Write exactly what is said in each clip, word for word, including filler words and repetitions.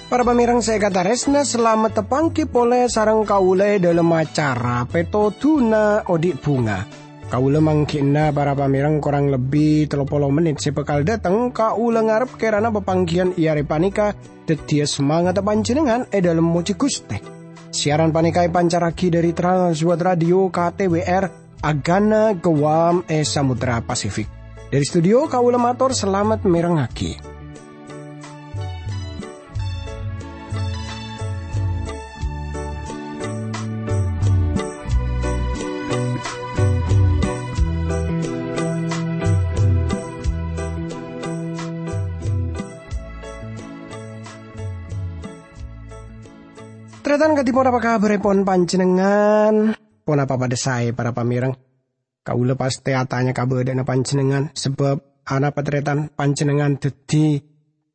Para pamèrèng sè èkatarèsna, salamet tapanggi polè sareng kaulâ è dhâlem acara Pètodhuna Odi' Bhunga. Kaulâ mangghi'na para pamèrèng korang lebbi tello polo mennit sè bhâkal dhâteng. Kaulâ ngarep kèrana papangghiyân è arè panèka dhâddhiyâ samangatta panjhennengngan è dhâlem mojhi Ghustè. Siaran panèka èpancarraghi dhâri Trans World Radio K T W R, Agana Guam è Samudra Pasifik. Dhâri studio kaulâ mator salamet mèrengngaghi. Tarètan, kadhi ponapa kabhârèpon panjhennengngan? Ponapa padhâ saè, para pamèrèng? Kaulâ pastè atanya ka bâdâna panjhennengngan, sabâb anapa tarètan panjhennengngan dhâddhi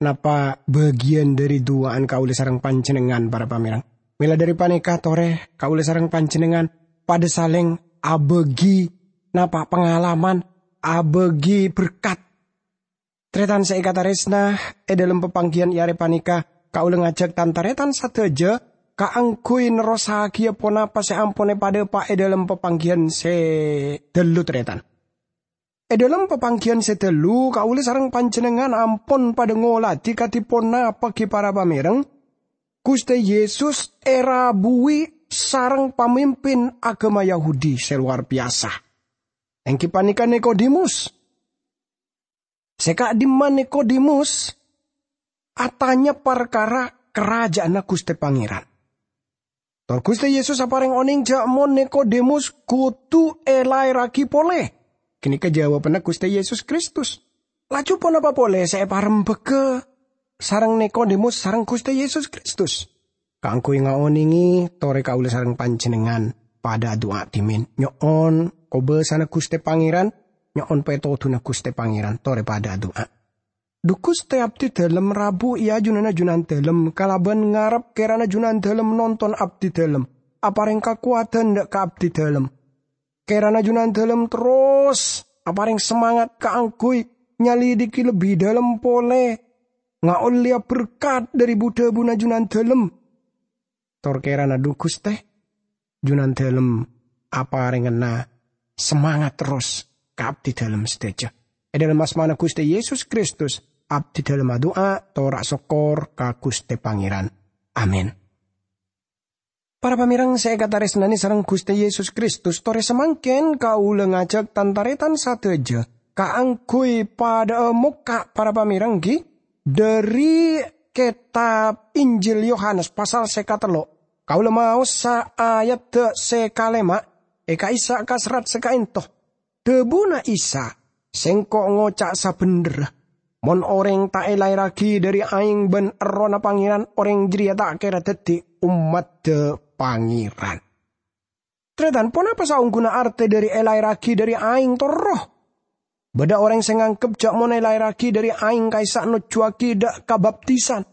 napa bâgiyân dhâri du'a'an kaulâ sareng panjhennengngan, para pamèrèng. Mèla dhâri panèka, torè kaulâ sareng panjhennengngan padhâ salèng abâgi napa pangalaman, abâgi berkat. Tarètan sè èkatarèsna, è dhâlem papangghiyân è arè panèka, kaulâ ngajhâk tan-tarètan sadhâjâ kaangghuy nerrossaghiyâ ponapa sè ampon èpadhâpa' è dhâlem papangghiyân sè dhâllu, tarètan. È dhâlem papangghiyân sè dhâllu, kaulâ sareng panjhennengngan ampon padhâ ngoladhi kadhi ponapa ghi, para pamèrèng, Ghustè Yesus èrabuwi sareng pamimpin aghâma Yahudi sè lowar biyasa, èngghi panèka Nikodemus. Sè ka'dimma Nikodemus atanya parkara Karaja'anna Ghustè Pangèran. Tor Ghustè Yesus aparèng onèng jhâ' mon Nikodemus kodhu èlaèrraghi polè. Ghânèka jawabanna Ghustè Yesus Kristus. Laju ponapa polè sè èparembhâghâ sareng Nikodemus sareng Ghustè Yesus Kristus? Kaangghuy ngaonèngè, torè kaulâ sareng panjhennengngan padhâ adu'a dhimèn, nyo'on kobâsana Ghustè Pangèran, nyo'on pètodhuna Ghustè Pangèran, torè padhâ adu'a. Dhu Ghustè, abdhidhâlem rabu è ajunanna Junandhâlem kalabân ngarep kèrana Junandhâlem nonton abdhidhâlem, aparèng kakowadhân dâ' ka abdhidhâlem. Kèrana Junandhâlem terros aparèng samangat kaangghuy nyalidhighi lebbi dhâlem polè, ngaollèya berkat dhâri bu-dhâbuna Junandhâlem. Tor kèrana dhu Ghustè, Junandhâlem aparèngana samangat terros ka abdhidhâlem sadhâjâ. È dhâlem asmana Ghustè Yesus Kristus, abdhidhâlem adu'a, tor asokkor ka Ghustè Pangèran. Amin. Para pamèrèng sè èkatarèsnanè sareng Ghustè Yesus Kristus, torè samangkèn kaulâ ngajhâk tan-tarètan sadhâjâ kaangghuy padhâ'â mokka', para pamèrèng, ghi, dhâri kètab Injil Yohanes pasal sè katello'. Kaulâ maosa ayadda sè kalèma' è ka'issa' ka serrat sè ka'ènto. Dhâbuna Isa, "Sèngko' ngoca' sabhendherra, mon orèng ta' èlaèrraghi dhâri aèng bân Errohna Pangèran, orèng jârèya ta' kèra dhâddhi ommaddhâ Pangèran." Tarètan, ponapa saongghuna artè dhâri èlaèrraghi dhâri aèng tor Erroh? Bâdâ orèng sè nganggep jhâ' mon èlaèrraghi dhâri aèng ka'issa' nojjhuwâghi dâ' ka baptisan.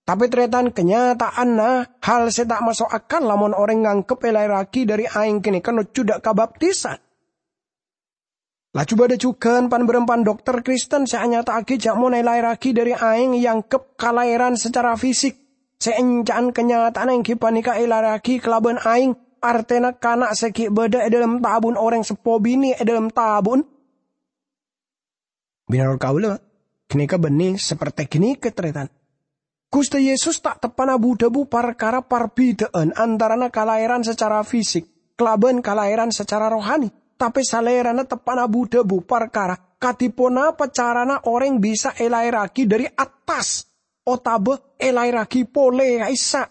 Tapè tarètan, kanyata'anna hal sè ta' maso' akal lamon orèng nganggep èlaèrraghi dhâri aèng ghânèka nojjhu dâ' ka baptisan. Laju bâdâ jhughân pan-bârâmpan dokter Kristen sè anyata'aghi jhâ' mon èlaèrraghi dhâri aèng èangghep kalaèran sacara fisik. Sè ènca'an kanyata'anna èngghi panèka èlaèrraghi kalabân aèng, artèna kana' sè ghi' bâdâ è dhâlem tabu'na orèng seppo binè' è dhâlem tabu'na. Mènorot kaulâ, ghânèka bânnè saperte ghânèka, tarètan. Ghustè Yesus ta' teppa'na bu-dhâbu parkara parbidhâ'ân antarana kalaèran sacara fisik kalabân kalaèran sacara rohani, tapè Salèrana teppa'na bu-dhâbu parkara kadhi ponapa carana orèng bisa èlaèrraghi dhâri attas otabâ èlaèrraghi polè ka'issa'.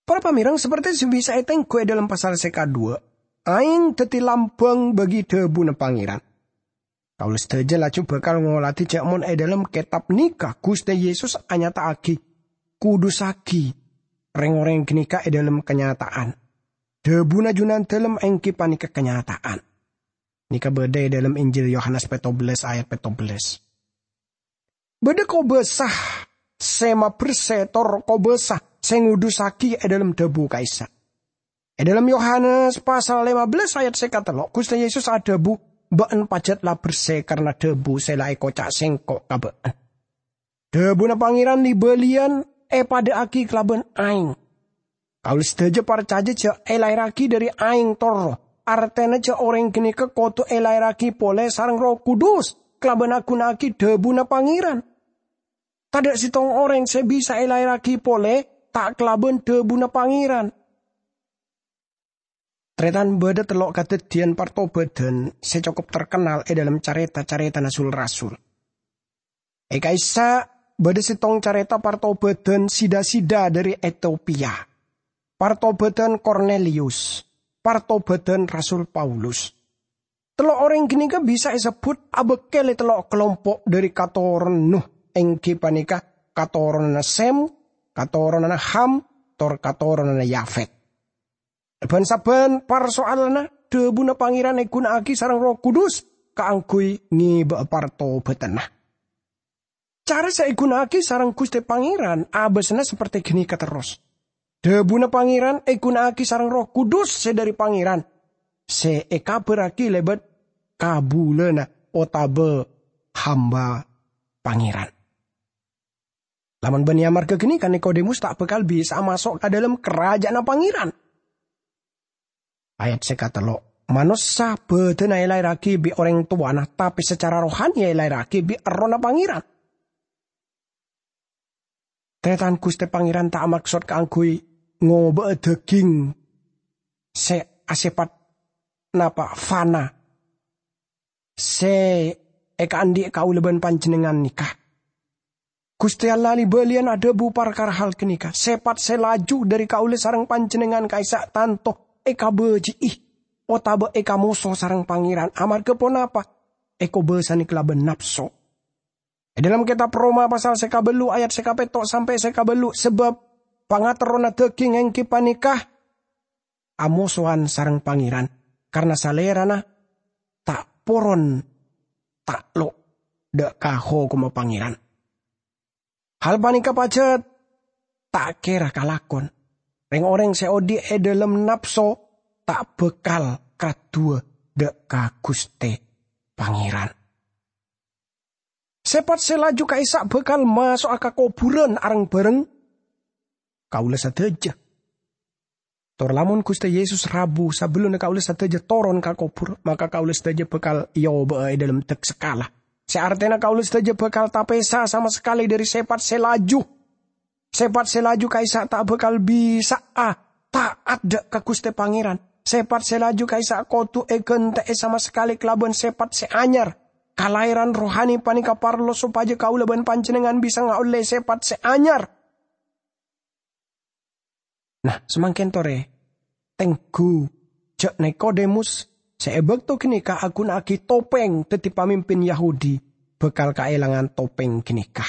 Para pamèrèng, saperte sè bisa ètengghu è dhâlem pasal sè kaduwâ', aèng dhâddhi lambâng bâgi dhâbuna Pangèran. Kaulâ sadhâjâ laju bhâkal ngoladhi jhâ' mon è dhâlem kètab nèka Ghustè Yesus anyata'aghi, "Kudussaghi rèng-orèng ghânèka è dhâlem kanyata'an." Dhâbuna Junandhâlem èngghi panèka kanyata'an. Nèka bâdâ è dhâlem Injil Yohanes pètto bellâs ayat pètto bellâs. Bâdâ kobâsa sè mabersè tor kobâsa sè ngudussaghi è dhâlem dhâbu ka'issa'. È dhâlem Yohanes pasal lèma bellâs ayat sè katello', Ghustè Yesus adhâbu, "Bâ'na pajhât la bersè karana dhâbu sè la èkoca' Sèngko' ka bâ'na." Dhabuna Pangeran li-baliyan epadha'agi kalaban aeng. Kaula sadaja parcaja ja' elaerragi dhari aeng torro, artena ja' oreng ganeka kodu elaerragi pole sareng Erroh Kudus kalaban aguna'agi dhabuna Pangeran. Tadha' settong oreng se bisa elaerragi pole ta' kalaban dhabuna Pangeran. Taretan, badha tello' kadaddiyan partobadan se cokop terkenal e dhalem careta-caretana sul-rasul. E ka'issa' badha settong careta partobadan sida-sida dhari Etiopia, partobadan Kornelius, partobadan Rasul Paulus. Tello' oreng ganeka bisa esebbut abakkel e tello' kalompo' dhari katoron Nuh, enggi paneka katoronanna Sem, katoronanna Ham, tor katoronanna Yafet. Ban-sabban parsoalanna dhabuna Pangeran eguna'agi sareng Erroh Kudus kaangguy ngeba'a partobadanna. Cara se eguna'agi sareng Guste Pangeran abasana saperte ganeka terros. Dhabuna Pangeran eguna'agi sareng Erroh Kudus se dhari Pangeran, se ekabarragi lebat kabulana otaba hamba Pangeran. Lamon banne amarga ganeka Nikodemus ta' bakal bisa'a maso' ka dhalem Karaja'anna Pangeran. Ayat se katello', manossa badana elaerragi bi' oreng towana, tape sacara rohani elaerragi bi' Errohna Pangeran. Taretan, Guste Pangeran ta' amaksod kaangguy ngoba'a daging se asepat napa fana se ekaandhi' kaula ban panjennengngan neka. Guste Allah li-baliyan adhabu parkara hal ganeka. Sepat se laju dhari kaula sareng panjennengngan ka'issa' tanto ekabaji'i otaba ekamoso sareng Pangeran. Amarga ponapa? Ekobasane kalaban napso. E dhalem Ketab Roma pasal se kabellu ayat se kapetto' sampe' se kabellu, sabab pangaterrona daging enggi paneka amosowan sareng Pangeran, karna salerana ta' poron ta'lo' dha' ka hokomma Pangeran. Hal paneka pajat ta' kera kalakon. Reng-oreng se odhi' e dhalem napso ta' bakal kaduwa dha' ka Guste Pangeran. Sepat se laju ka'issa' bakal maso'a ka koburan areng-bareng kaula sadaja. Tor lamon Guste Yesus rabu sabellunna kaula sadaja toron ka kobur, maka kaula sadaja bakal eoba'a e dhalem dak-sakala. Se artena kaula sadaja bakal tapesa sama sakale dhari sepat se laju. Sepat se laju ka'issa' ta' bakal bisa'a ta'at dha' ka Guste Pangeran. Sepat se laju ka'issa' kodu egante'e sama sakale kalaban sepat se anyar. Kalaeran rohani paneka parlo sopaja kaula ban panjennengngan bisa ngaolle sepat se anyar. Nah, samangken tore, tenggu ja' Nikodemus se e bakto ganeka aguna'agi topeng daddi pamimpin Yahudi bakal kaelangan topeng ganeka.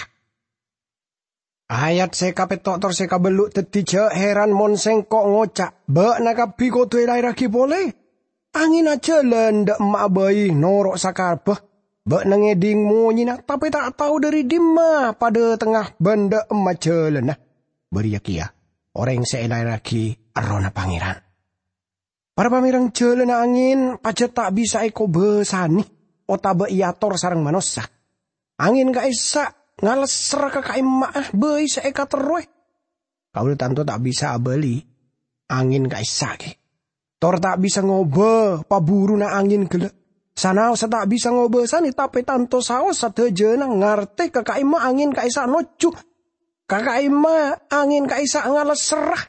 Ayat se kapetto' tor se kabellu' daddi ja' heran mon sengko' ngoca', "Ba'na kabbi kodu elaerragi pole." Angen ajalan dha' emma'a bai noro' sakarebba. Ba'na ngedhing monyena, tape ta' tao dhari dimma padhatengnga ban dha' emma jalanna. Bariya keya oreng se elaerragi Errohna Pangeran. Para pamereng, jalanna angen pajat ta' bisa ekobasane otaba eator sareng manossa. Angen ka'issa' ngalesser ka ka'imma'a bai se ekaterrowe. Kaula tanto ta' bisa abali angen ka'issa' gi. Tor ta' bisa ngoba paburuna angen gella'. Sanaossa ta' bisa ngobasane, tape tanto saos sadajana ngarte ka ka'imma angen ka'issa' nojju. Ka ka'imma angen ka'issa' ngalesserra.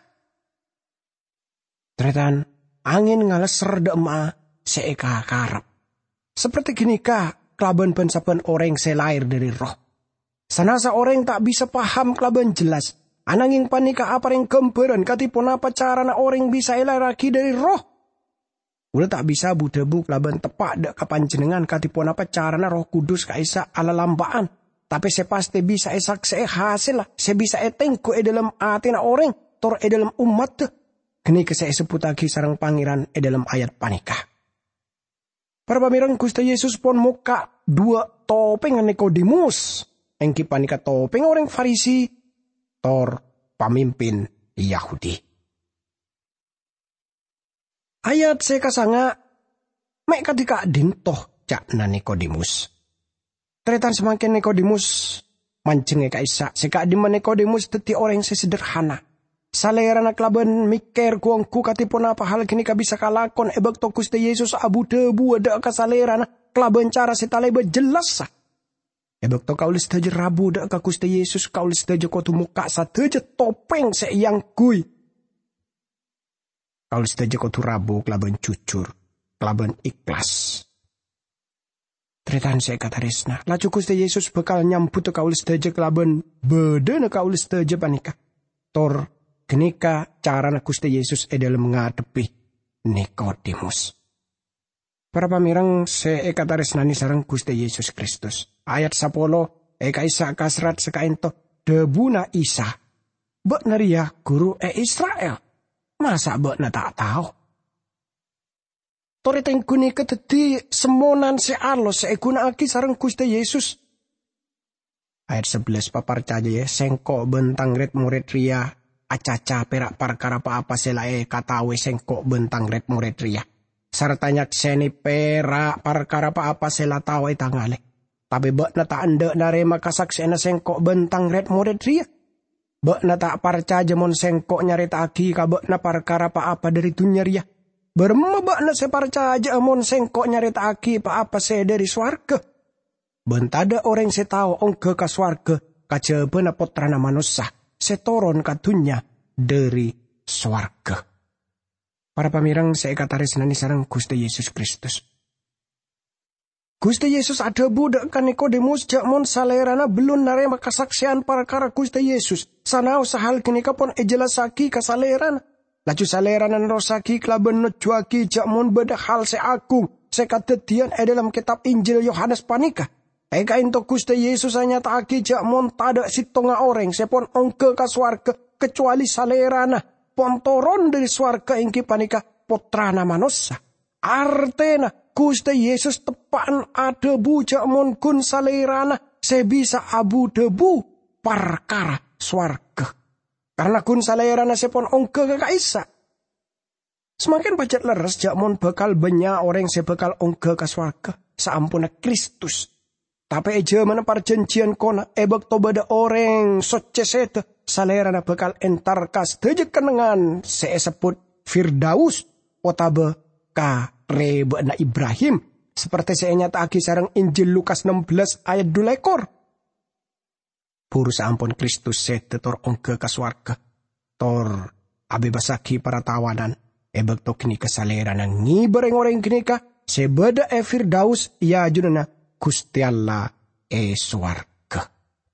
Taretan, angen ngalesser dha' emma'a se ekakarep. Saperte ganeka kalaban ban-sabban oreng se laer dhari Erroh. Sanasa oreng ta' bisa paham kalaban jelas, anangeng paneka apareng gambaran kadi ponapa carana oreng bisa elaerragi dhari Erroh. Kaula ta' bisa bu-dhabu kalaban teppa' dha' ka panjennengngan kadi ponapa carana Erroh Kudus ka'issa' alalampa'an, tape se paste bisa esakse'e hasella se bisa etenggu e dhalem atena oreng tor e dhalem ommadda. Ganeka se esebbuttagi sareng Pangeran e dhalem ayat paneka. Para pamereng, Guste Yesus pon mokka' dhuwa' topengnga Nikodemus, enggi paneka topeng oreng Farisi tor pamimpin Yahudi. Ayat se kasanga', "Me' kadi ka'dhinto'?" ca'na Nikodemus. Taretan, samangken Nikodemus Manjhengngè ka'issa', sè ka'dimma Nikodemus dhâddhi orèng sè sederhana. Salèrana kalabân mèkkèr gu-onggu kadhi ponapa hal ghânèka bisa kalakon è bâkto Ghustè Yesus abu-dhâbuwâ dâ' ka salèrana kalabân cara sè talèbât jellassa. È bâkto kaulâ sadhâjâ rabu dâ' ka Ghustè Yesus, kaulâ sadhâjâ kodhu mokka' sadhâjâ topèng sè èangghuy. Kaulâ sadhâjâ kodhu rabu kalabân jujur, kalabân ikhlas. Tarètan sè èkatarèsna, laju Ghustè Yesus bhâkal nyambhuta kaulâ sadhâjâ kalabân bâdâna kaulâ sadhâjâ panèka. Tor ghânèka carana Ghustè Yesus è dhâlem ngadhebbhi Nikodemus. Para pamèreng sè èkatarèsnanè sareng Ghustè Yesus Kristus. Ayat sapolo è ka'issa' kaserrat sakaènto, dhâbuna Isa, "Bâ'na rèya guru è Isra'il. Masa' bâ'na ta' tao?" Torè tèngghu nèka dhâddhi semmonan sè alos sè èghuna'aghi sareng Ghustè Yesus. Ayat sabellâs, "Paparcajâ, yâ, Sèngko' bân Tang rèd-morèd rèya acaca pèra' parkara pa-apa sè la èkataowè Sèngko' bân Tang rèd-morèd rèya, sarta nyaksènè pèra' parkara pa-apa sè la tao è tangalè. Tapè bâ'na ta' endâ' narèma kasaksè'anna Sèngko' bân Tang rèd-morèd rèya. Bâ'na ta' parcajâ mon Sèngko' nyarèta'aghi ka bâ'na parkara pa-apa dhâri dhunnya rèya. Bârâmma bâ'na sè parcajâ'â mon Sèngko' nyarèta'aghi pa-apa sè dhâri sowarghâ? Bân tadâ' orèng sè tao ongghâ ka sowarghâ kajhâbhâna Pottrana Manossa sè toron ka dhunnya dhâri sowarghâ." Para pamèreng sè èkatarèsnanè sareng Ghustè Yesus Kristus. Ghustè Yesus adhâbu dâ' ka Nikodemus jâ' mon salèrana bellun narèma kasaksèyan parkara Ghustè Yesus, sanaossa hal ghânèka pon èjellassaghi ka salèrana. Laju salèrana nerrossaghi kalabân nojjuwâghi jâ' mon bâdâ hal sè agung sè kadhâddhiyân è dhâlem kètab Injil Yohanes panèka. È ka'ènto Ghustè Yesus anyata'aghi jâ' mon tadâ' sèttonga orèng sè pon ongghâ ka sowarghâ kacowalè Salèrana pon toron dhâri sowarghâ, èngghi panèka Pottrana Manossa. Artèna, Ghustè Yesus teppa'na adhâbu jâ' mon ghun Salèrana sè bisa abu-dhâbu parkara sowarghâ, karna ghun Salèrana sè pon ongghâ ka ka'issa'. Samangkèn pajhât lerres jâ' mon bhâkal bânnya' orèng sè bhâkal ongghâ ka sowarghâ saamponna Kristus. Tapè è jhâmanna parjhânjhiyân kona, è bâkto bâdâ orèng soccè sèdhâ, Salèrana bhâkal entar ka sadhâjâ kennengngan sè èsebbhut Firdaus otabâ ka rèbâ'na Ibrahim, saperte sè ènyata'aghi sareng Injil Lukas nem bellâs ayat dhu lèkor. Buru saampon Kristus sèdhâ tor ongghâ ka sowarghâ, tor abebasaghi para tawanan, è bâkto ghânèka Salèrana ngèbâ rèng-orèng ghânèka sè bâdâ è Firdaus è ajunanna Ghustè Allah è sowarghâ.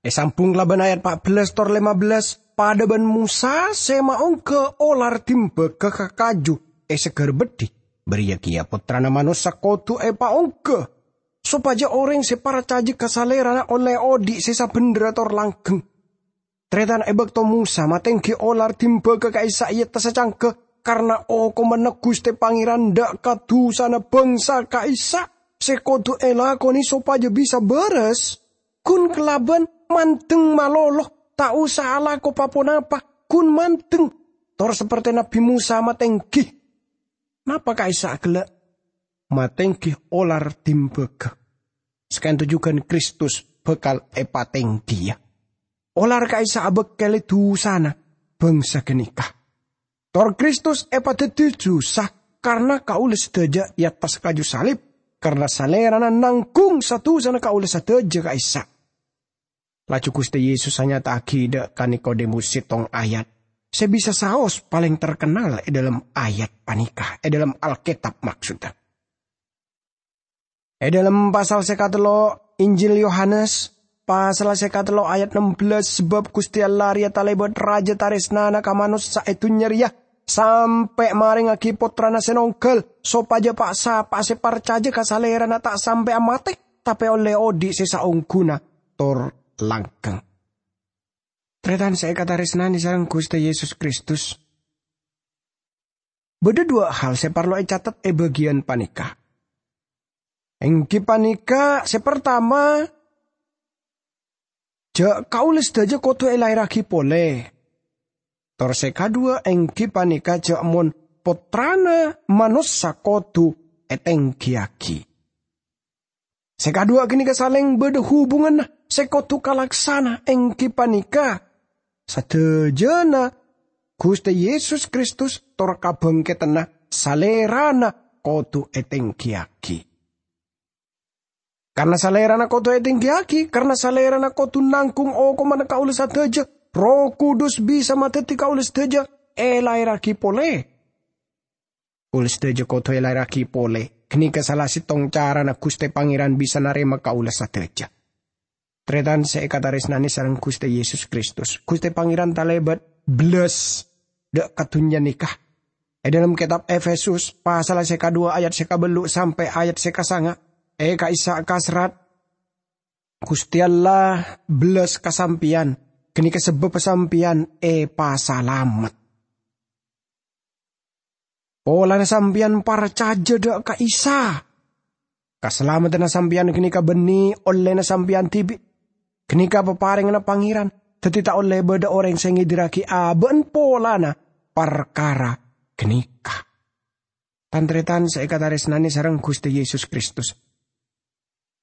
Èsambhung kalabân ayat pa' bellâs tor lèma bellâs, padâ bân Mosa sè maongghâ olar dimbaga ka kaju è Segar Beddhi, bâriyâ kèya Pottrana Manossa kodhu èpaongghâ, sopajâ orèng sè parcajâ ka Salèrana ollè odi' sè sabhendherra tor langghâng. Tarètan, è bâkto Mosa matèngghi olar dimbaga ka'issa' è attassa cangghâ, karna okomanna Ghustè Pangèran dâ' ka dusana bhângsa ka'issa' sè kodhu èlakonè sopajâ bisa bârâs, ghun kalabân mandeng malolo, ta' osa alako pa-ponapa, ghun mandeng, tor saperte Nabbhi Mosa matèngghi. Napa ka'issa' ghellâ'? Matèngghi olar dimbaga. Saka'ènto jhughân Kristus bhâkal èpatèngghiyâ. Olar ka'issa' abâkkèlè dusana bhângsa ghânèka. Tor Kristus èpadhâddhi dusa karna kaulâ sadhâjâ è attassa kaju salib, karna Salèrana nangghung sa-dusana kaulâ sadhâjâ ka'issa'. Laju Ghustè Yesus anyata'aghi dâ' ka Nikodemus sèttong ayat sè bisa saos palèng terkennal è dhâlem ayat panèka, è dhâlem Alkètab, maksodda. È dhâlem pasal sè katello' Injil Yohanes, pasal sè katello' ayat nem bellâs, "Sabâb Ghustè Allah rèya talèbât rajâ tarèsnana ka manossa è dhunnya rèya, sampè' marèngaghi Pottrana sè nongghâl, sopajâ pa'-sapa'a sè parcajâ ka Salèrana ta' sampè'a matè, tapè ollè odi' sè saongghuna tor langghâng." Tarètan sè èkatarèsnanè sareng Ghustè Yesus Kristus, bâdâ duwâ' hal sè parlo ècatet è bâgiyân panèka. Èngghi panèka, sè partama, jâ' kaulâ sadhâjâ kodhu èlaèrraghi polè. Tor sè kaduwâ' èngghi panèka jâ' mon Pottrana Manossa kodhu ètèngghiyâghi. Sè kaduwâ' ghânèka salèng bâdâ hubunganna, sè kodhu kalaksana èngghi panèka sadhâjâna Ghustè Yesus Kristus tor kabhângkèdhânna Salèrana kodhu ètènggiyâghi. Karna Salèrana kodhu ètènggiyâghi, karna Salèrana kodhu nangghung okomanna kaulâ sadhâjâ, Erroh Kudus bisa madhâddhi kaulâ sadhâjâ èlaèrraghi polè. Kaulâ sadhâjâ kodhu èlaèrraghi polè. Ghânèka sala sèttong carana Ghustè Pangèran bisa narèma kaulâ sadhâjâ. Tarètan sè èkatarèsnanè sareng Ghustè Yesus Kristus, Ghustè Pangèran talèbât bellas dâ' ka dhunnya nèka. È dhâlem kètab Efesus, pasal sè kaduwâ ayat sè kabellu' sampè' ayat sè kasanga', è ka'issa' kaserrat, "Ghustè Allah bellas ka sampèyan, ghânèka sabâbbhâ sampèyan èpasalamet." Polana sampèyan parcajâ dâ' ka Isa, kasalameddhânna sampèyan ghânèka bânnè ollèna sampèyan dhibi'. Ghânèka paparèngnga Pangèran, dhâddhi ta' ollè bâdâ orèng sè ngèdirraghi abâ'na polana parkara ghânèka. Tan-tarètan sè èkatarèsnanè sareng Ghustè Yesus Kristus,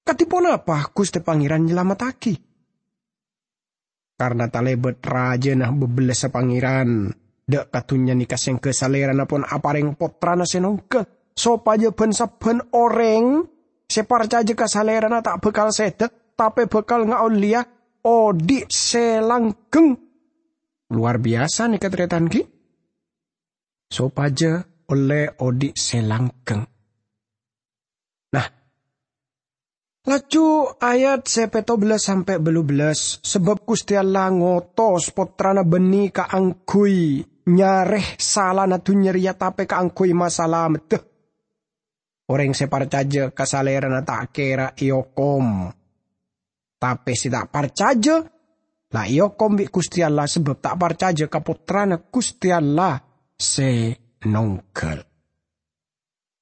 kadhi ponapa Ghustè Pangèran nyalamettaghi? Karna talèbât rajâna bâbellâssa Pangèran dâ' ka dhunnya nèka, sèngghâ Salèrana pon aparèng Pottrana sè nongghâl, sopajâ bân-sabbhân orèng sè parcajâ ka Salèrana ta' bhâkal sèdhâ, tapè bhâkal ngaollèya odi' sè langghâng. Lowar biyasa nèka, tarètan, ghi? Sopajâ ollè odi' sè langghâng. Nah, laju ayat sè pètto bellâs sampè' bâllu bellâs, sabâb Ghustè Allah ngotos Pottrana bânnè kaangghuy nyarè salana dhunnya rèya, tapè kaangghuy masalameddhâ. Orèng sè parcajâ ka Salèrana ta' kèra èokom, tapè sè ta' parcajâ la èokom bi' Ghustè Allah, sabâb ta' parcajâ ka Pottrana Ghustè Allah sè nongghâl.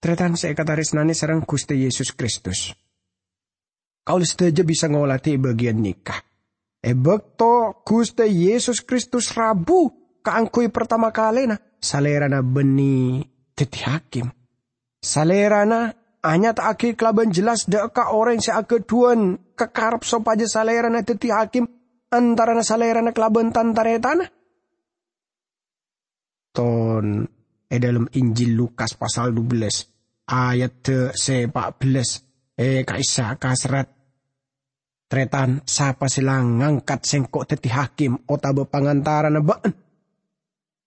Tarètan sè èkatarèsnanè sareng Ghustè Yesus Kristus, kaulâ sadhâjâ bisa ngolatè bâgiyân nèka. È bâkto Ghustè Yesus Kristus rabu kaangghuy partama kalèna, Salèrana bânnè dhâddhi hakim. Salèrana anyata'aghi kalabân jelas dâ' ka orèng sè aghâdhuwân kakarep sopajâ Salèrana dhâddhi hakim antarana Salèrana kalabân tan-tarètanna. Ton è dhâlem Injil Lukas pasal dubellâs, ayat sè pa' bellâs, è ka'issa' kaserrat, "Tarètan, sapa sè la ngangkat sèngko' dhâddhi hakim otabâ pangantarana bâ'na?"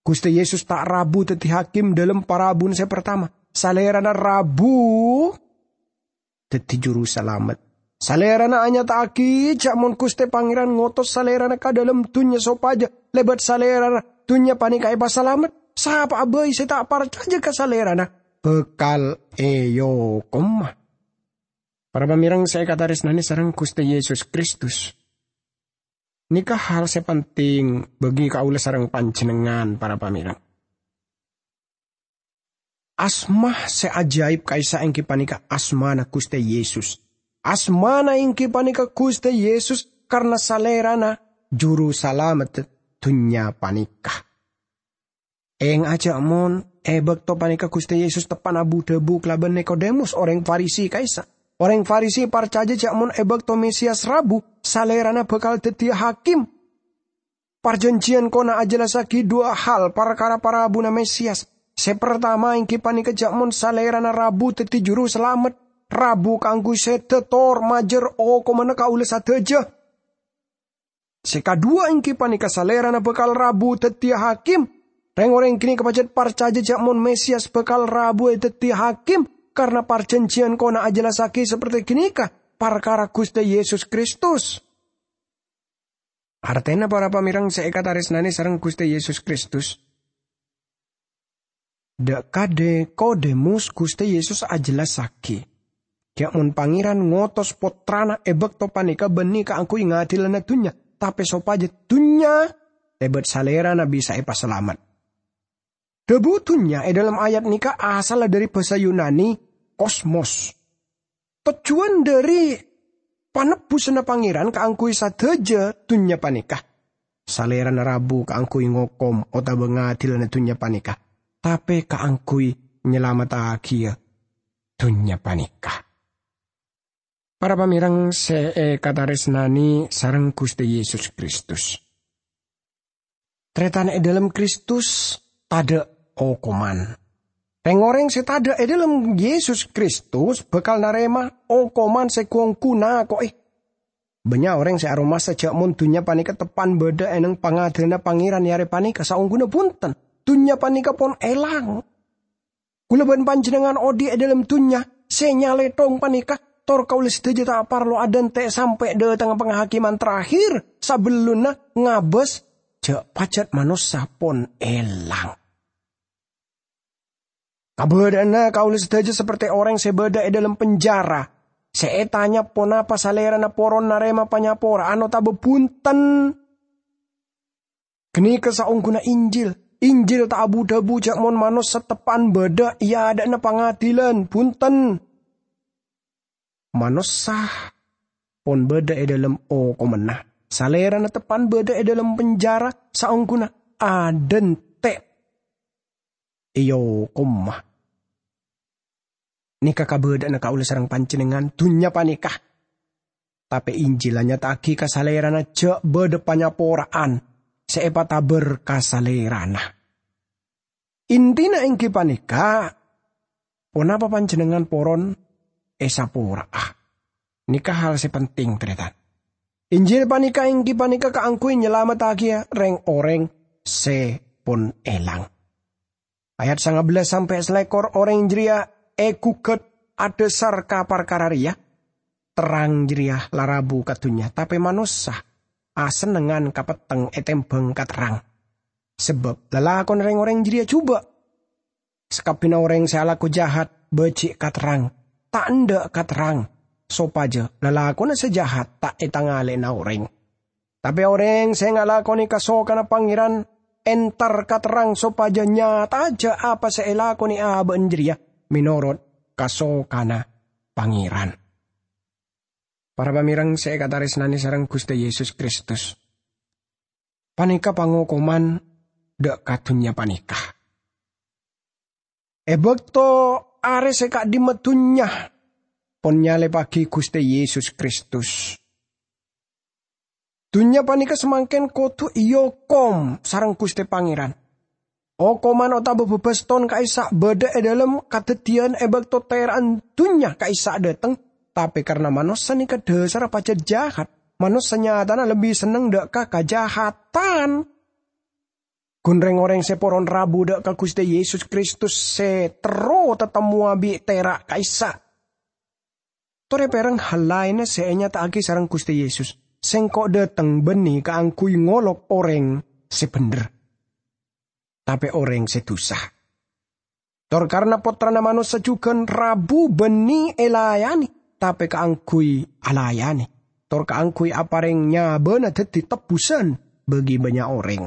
Ghustè Yesus ta' rabu dhâddhi hakim dhâlem parabuna sè partama. Salèrana rabu dhâddhi Jurusalamet. Salèrana anyata'aghi jâ' mon Ghustè Pangèran ngotos Salèrana ka dhâlem dhunnya sopajâ lèbât Salèrana dhunnya panèka èpasalamet. Sapa'a bhâi sè ta' parcajâ ka Salèrana bhâkal èokoma. Para pamèreng sè èkatarèsnanè sareng Ghustè Yesus Kristus, nèka hal sè penting bagi kaulâ sareng panjhennengngan, para pamèreng. Asma sè ajaib ka'issa' èngghi panèka asmana Ghustè Yesus. Asmana èngghi panèka Ghustè Yesus karna Salèrana Jurusalamet dhunnya panèka. Ènga'a jâ' mon è bâkto panèka Ghustè Yesus teppa'na bu-dhâbu kalabân Nikodemus, orèng Farisi ka'issa'. Orèng Farisi parcajâ jâ' mon è bâkto Mesias rabu, Salèrana bhâkal dhâddhiyâ hakim. Parjhânjhiyân Kona ajellassaghi duwâ' hal parkara parabuna Mesias. Sè partama èngghi panèka jâ' mon Salèrana rabu dhâddhi Jurusalamet, rabu kaangghuy sèdhâ tor majâr okomanna kaulâ sadhâjâ. Sè kaduwâ' èngghi panèka Salèrana bhâkal rabu dhâddhiyâ hakim. Rèng-orèng ghânèka pajhât parcajâ jâ' mon Mesias bhâkal rabu èdhâddhiyâ hakim, karna parjhânjhiyân Kona ajellassaghi saperte ghânèka parkara Ghustè Yesus Kristus. Artèna, para pamèreng sè èkatarèsnanè sareng Ghustè Yesus Kristus, dâ' kadhi Kodemus Ghustè Yesus ajellassaghi, jâ' mon Pangèran ngotos Pottrana è bâkto panèka bânnè kaangghuy ngadilana dhunnya, tapè sopajâ dhunnya lèbât Salèrana bisa èpasalamet. Dhâbu dhunnya è dhâlem ayat nèka asalla dhâri bhâsa Yunani kosmos. Tojjhuwân dhâri panebbhusânna Pangèran kaangghuy sadhâjâ dhunnya panèka. Salèrana rabu kaangghuy ngokom otabâ ngadilana dhunnya panèka, tapè kaangghuy nyalamettaghiyâ dhunnya panèka. Para pamèrèng sè èkatarèsnanè sareng Ghustè Yesus Kristus. Tarètan è dhâlem Kristus tadâ' okoman. Rèng-orèng sè tadâ' è dhâlem Yesus Kristus bhâkal narèma okoman sè ghu-ongghu nako'è. Bânnya' orèng sè aromasa jhâ' mon dhunnya panèka teppa'na bâdâ è nèng pangadhilânna Pangèran è arè panèka, saongghuna bhunten, dhunnya panèka pon èlang. Kaulâ bân panjhennengngan odi' è dhâlem dhunnya sè nyalèthong panèka, tor kaulâ sadhâjâ ta' parlo adhânte' sampè' dhâtengnga panghakèman terakhir sabellunna ngabâs jhâ' pajhât manossa pon èlang. Kabâdâ'ânna kaulâ sadhâjâ sapertè orèng sè bâdâ è dhâlem penjara, sè ètanya ponapa salèrana poron narèma panyapora'an otabâ bhunten. Ghânèka saongghuna Injil. Injil ta' abu-dhâbu jhâ' mon manossa teppa'na bâdâ è adâ'na pangadhilân, bhunten. Manossa pon bâdâ è dhâlem okomanna. Salèrana teppa'na bâdâ è dhâlem penjara saongghuna adhânte' èokoma. Nèka kabâdâ'ânna kaulâ sareng panjhennengngan dhunnya panèka. Tapè Injil anyata'aghi ka salèrana jhâ' bâdâ panyapora'an sè èpatabâr ka salèrana. Intina èngghi panèka, ponapa panjhennengngan poron èsapora'a? Nèka hal sè penting, tarètan. Injil panèka èngghi panèka kaangghuy nyalamettaghiyâ rèng-orèng sè pon èlang. Ayat sangabellâs sampè' salèkor, orèng jârèya èghugât adhâsar ka parkara rèya, "Terrang jârèya la rabu ka dhunnya, tapè manossa asennengngan ka petteng ètembhâng ka terrang. Sabâb lalakonna rèng-orèng jârèya jhubâ'. Sakabbhiyânna orèng sè alako jahat bâji' ka terrang, ta' endâ' ka terrang, sopajâ lalakonna sè jahat ta' ètangalè'ana orèng. Tapè orèng sè ngalakonè kasokanna Pangèran entar ka terrang sopajâ nyata'a jhâ' apa sè èlakonè abâ'na jârèya mènorot kasokanna Pangèran." Para pamèrèng sè èkatarèsnanè sareng Ghustè Yesus Kristus, panèka pangokoman dâ' ka dhunnya panèka. È bâkto arè sè ka'dimma dhunnya pon nyalèbbhâghi Ghustè Yesus Kristus, dhunnya panèka samangkèn kodhu èokom sareng Ghustè Pangèran. Okoman otabâ bâbâston ka'issa' bâdâ è dhâlem kadhâddhiyân è bâkto tera'na dhunnya ka'issa' dâteng, tapè karna manossa nèka dhâsarra pajhât jahat, manossa nyatana lebbi senneng dâ' ka kajahatan. Ghun rèng-orèng sè poron rabu dâ' ka Ghustè Yesus Kristus sè terro tatemmowa bi' tera' ka'issa'. Torè pèrèng hal laènna sè ènyata'aghi sareng Ghustè Yesus, "Sèngko' dâteng bânnè kaangghuy ngolok orèng sè bhendher, tapè orèng sè dusa." Tor karna Pottrana Manossa jhughân rabu bânnè èlayanè, tapè kaangghuy alayanè, tor kaangghuy aparèng nyabâna dhâddhi tebbhusân bagi bânnya' orèng.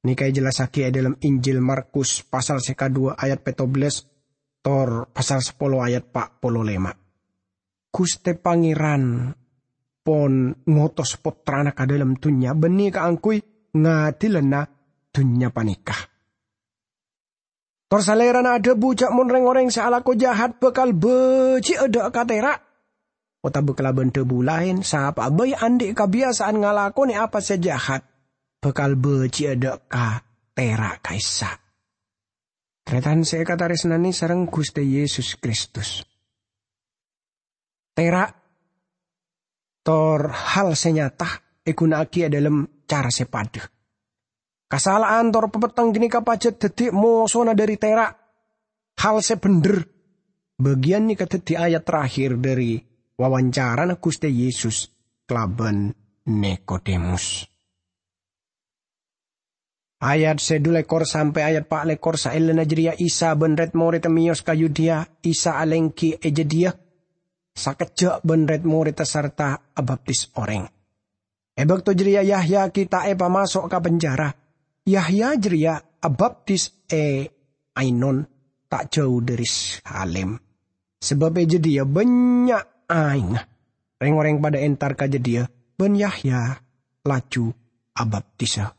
Nèka èjellassaghi è dhâlem Injil Markus pasal sè kaduwâ ayat pèttobellâs, tor pasal sapolo ayat pa' polo lèma'. Ghustè Pangèran pon ngotos Pottrana ka dhâlem dhunnya bânnè kaangghuy ngadilana dhunnya panèka. Tor Salèrana adhâbu jhâ' mon rèng-orèng sè alako jahat bhâkal bâji'â dâ' ka tera', otabâ kalabân dhâbu laèn, sapa'a bhâi andi' kabiyasa'an ngalakonè apa sè jahat, bhâkal bâji'â dâ' ka tera' ka'issa'. Tarètan sè èkatarèsnanè sareng Ghustè Yesus Kristus. Tera' tor hal sè nyata èghuna'aghi è dhâlem cara sè padâ. Kasala'an tor papetteng ghânèka pajhât dhâddhi mosona dhâri tera'. Hal sè bhendher. Bâgiyân nèka dhâddhi ayat terakhir dhâri wawancarana Ghustè Yesus kalabân Nikodemus. Ayat sè dhu lèkor sampè' ayat pa' lèkor. Saellana jârèya Isa bân rèd-morèdda mèyos ka Yudea. Isa alèngghi è jâdiyâ. Sakejjhâ' bân rèd-morèdda sarta abaptis orèng. È bâkto jârèya Yahya ghi' ta' èpamaso' ka penjara. Yahya jârèya abaptis è Ainon, ta' jâu dhâri Salim. Sabâb è jâdiyâ bânnya' aèngnga. Rèng-orèng padâ entar ka jâdiyâ, bân Yahya laju abaptisa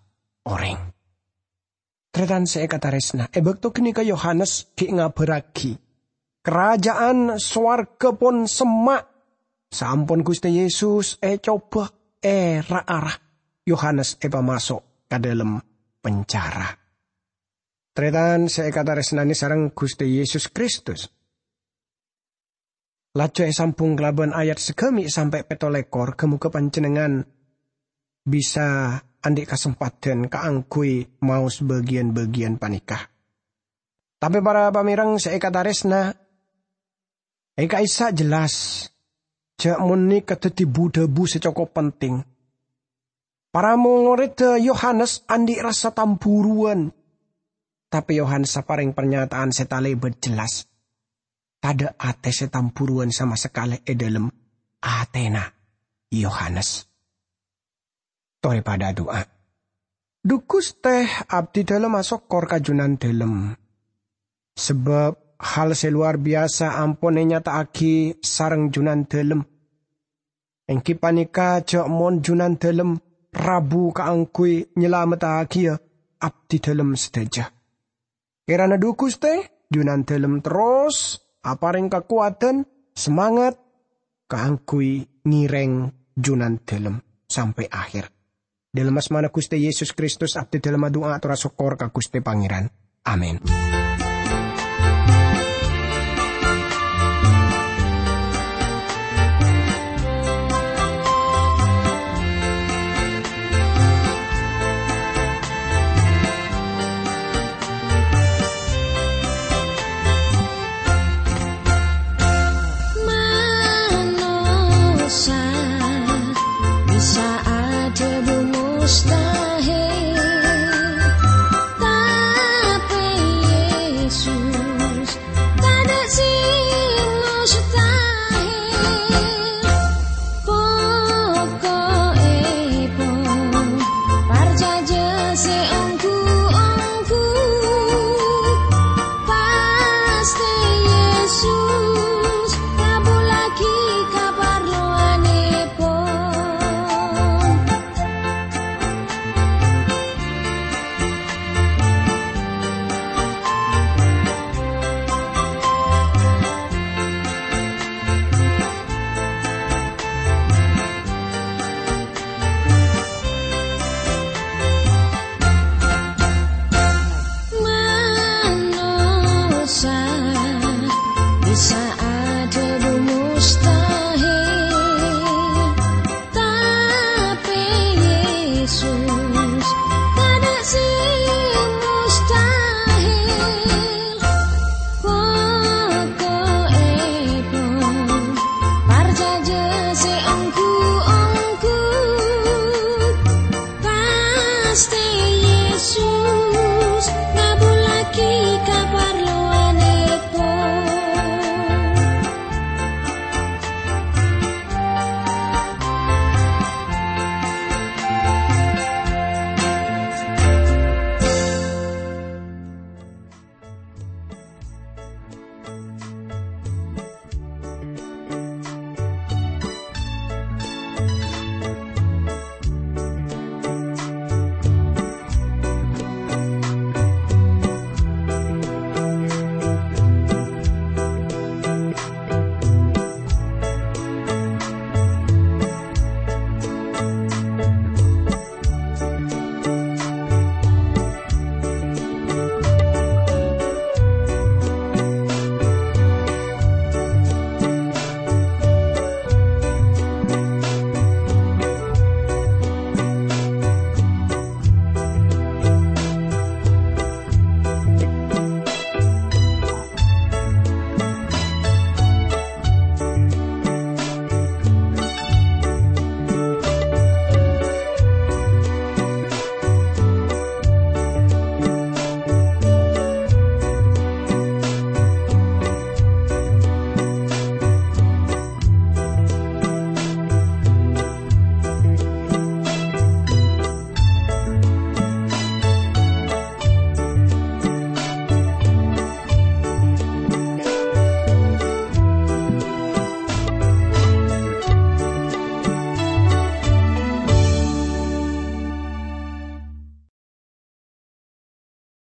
orèng. Tarètan sè èkatarèsna, è bâkto ghânèka Yohanes ghi' ngabârraghi, "Karaja'an sowarghâ pon semma', Saampon Guste Yesus ecoba, era-ara, Yohanes epamaso' ka dhalem penjara. Taretan se ekataresnane sareng Guste Yesus Kristus, laju esambung kalaban ayat sagami' sampe' petto lekor, ga-moga panjennengngan bisa andhi' kasempadhan kaangguy maos bagiyan-bagiyan paneka. Tape para pamereng se ekataresna, e ka'issa' jelas ja' mon neka daddi bu-dhabu se cokop penting. Para moredda Yohanes andhi' rassa tamburuwan, tape Yohanes apareng parnyata'an se talebat jelas. Tadha' ate se tamburuwan sama sakale e dhalem atena Yohanes. Tore padha adu'a. Dhu Guste, abdi dhalem asokkor ka Junandalem, sabab hal se lowar biyasa ampon enyata'agi sareng Junandalem, enggi paneka ja' mon Junandalem rabu kaangguy nyalamettagiya abdi dhalem sadaja. Kerana dhu Guste, Junandalem terros apareng kakowadhan, samangat kaangguy ngereng Junandalem sampe' aher. Dhalem asmana Guste Yesus Kristus abdi dhalem adu'a ator asokkor ka Guste Pangeran. Amin. Manossa bisa adhâbu mustahil.